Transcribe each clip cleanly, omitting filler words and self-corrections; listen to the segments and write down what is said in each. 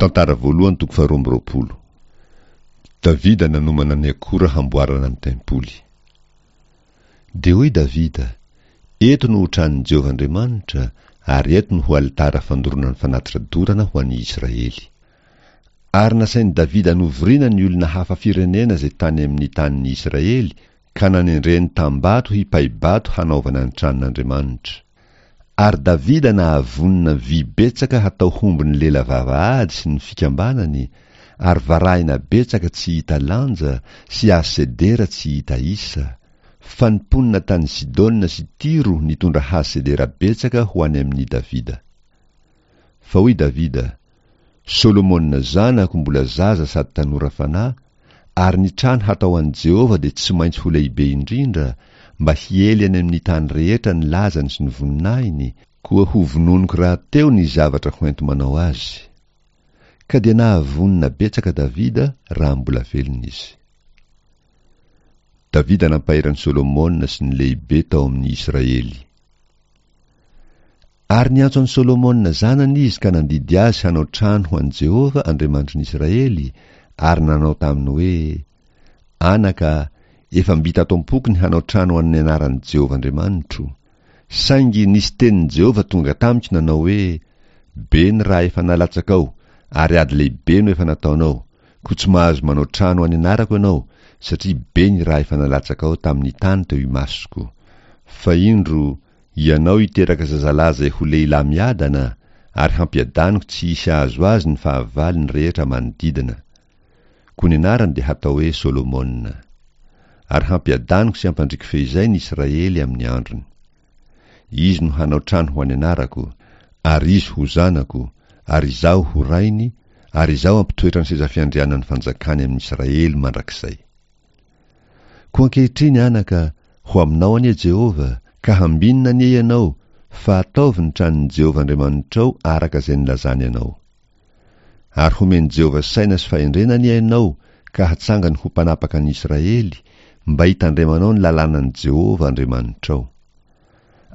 Tantara voalohany toko faharoa amby roapolo. Davida nanomana ny akora hamboarana ny tempoly. Dia hoy Davida, Eto no ho tranon'i Jehovah Andriamanitra, ary eto no ho alitara fandoroana ny fanatitra dorana ho an'ny Israely. Ary nasain'i Davida novorina ny olona hafa firenena izay tany amin'ny tanin'ny Israely, ka nanendreny tambato hipai-bato hanaovana ny tranon'Andriamanitra. Ary Davida nahavonona vy betsaka hatao hombon'ny lela vavahady sy ny fikambanany, ary varahina betsaka tsy hita lanja sy hazo sedera tsy hita isa, fa ny mponina tany Sidona sy Tyro nitondra hazo sedera betsaka ho any amin'i Davida. Fa hoy Davida, Solomona zanako mbola zaza sady tanora fanahy, ary ny trano hatao an'i Jehovah dia tsy maintsy ho lehibe indrindra, mba hiely any amin'ny tany rehetra ny lazany sy ny voninahiny, koa hovononiko rahateo ny zavatra hoenti-manao azy. Ka dia nahavonona betsaka Davida raha mbola velona izy. Davida nampahery an'i Solomona sy ny lehibe tao amin'ny Israely. Ary niantso an'i Solomona zanany izy ka nandidy azy hanao trano ho an'i Jehovah Andriamanitry ny Israely, ary nanao taminy hoe, Anaka, efa mby tato am-poko ny hanao trano ho an'ny anaran'i Jehovah Andriamanitro. Saingy nisy tenin'i Jehovah tonga tamiko nanao hoe, Be ny ra efa nalatsakao, ary ady lehibe no efa nataonao, koa tsy mahazo manao trano ho an'ny anarako ianao, satria be ny ra efa nalatsakao tamin'ny tany teo imasoko. Fa indro, Ianao hiteraka zazalahy izay ho lehilahy miadana, ary hampiadaniko tsy hisy hahazo azy ny fahavalony rehetra manodidina. Koa ny anarany dia hatao hoe Solomona. Ary hampiadaniko sy hampandriko feizay ny Israely amin'ny androny. Izy no hanao trano ho an'ny anarako, ary izy ho zanako, ary izaho ho rainy, ary izaho hampitoetra ny seza fiandrianan'ny fanjakany amin'ny Israely mandrakizay. Koa ankehitriny, anaka, ho aminao anie Jehovah, ka hambinina anie ianao, fa ataovy ny tranon'i Jehovah Andriamanitrao araka izay nilazany anao. Ary homen'i Jehovah saina sy fahendrena anie ianao, ka hatsangany ho mpanapaka ny Israely, mba hitandremanao ny lalànan'i Jehovah Andriamanitrao.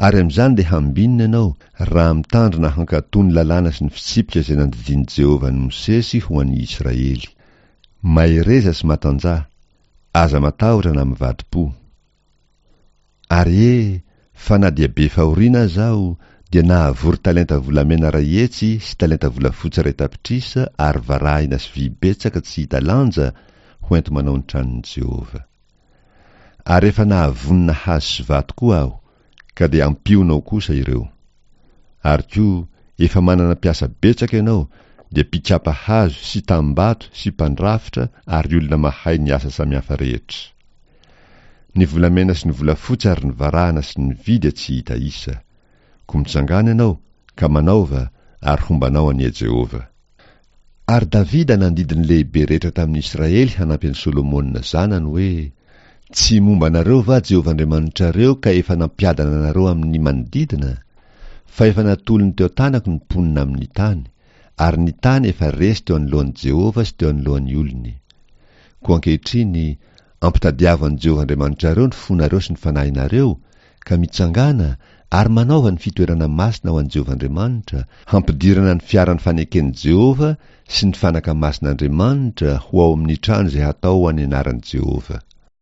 Ary amin'izany dia hambinina ianao, raha mitandrina hankatò ny lalàna sy ny fitsipika izay nandidian'i Jehovah an'i Mosesy ho an'ny Israely. Mahereza sy matanjaha, aza matahotra na mivadi-po. Ary e, fa na dia be fahoriana aza aho, dia nahavory talenta volamena iray hetsy sy talenta volafotsy iray tapitrisa ary varahina sy vy betsaka tsy hita lanja ho enti-manao ny tranon'i Jehovah. Ary efa nahavonona hazo sy vato koa aho, ka dia ampionao kosa ireo. Ary koa, efa manana mpiasa betsaka ianao, dia mpikapa hazo sy tambato sy mpandrafitra ary olona mahay ny asa samihafa rehetra. Ny volamena sy ny volafotsy ary ny varahana sy ny vy dia tsy hita isa. Koa mitsangàna ianao, ka manaova, ary homba anao anie Jehovah. Ary Davida nandidy ny lehibe rehetra tamin'ny Israely hanampy an'i Solomona zanany hoe, Tsy momba anareo va Jehovah Andriamanitrareo ka efa nampiadana anareo amin'ny manodidina? Fa efa natolony teo an-tanako ny mponina amin'ny tany, ary ny tany efa resy teo anoloan'i Jehovah sy teo anoloan'ny olony. Koa ankehitriny, ampitadiavo an'i Jehovah Andriamanitrareo ny fonareo sy ny fanahinareo, Ka mitsangàna ary manaova ny fitoerana masina ho an'i Jehovah Andriamanitra, hampidirana ny fiaran'ny faneken'i Jehovah sy ny fanaka masin'Andriamanitra ho ao amin'ny trano izay hatao ho an'ny anaran'i Jehovah.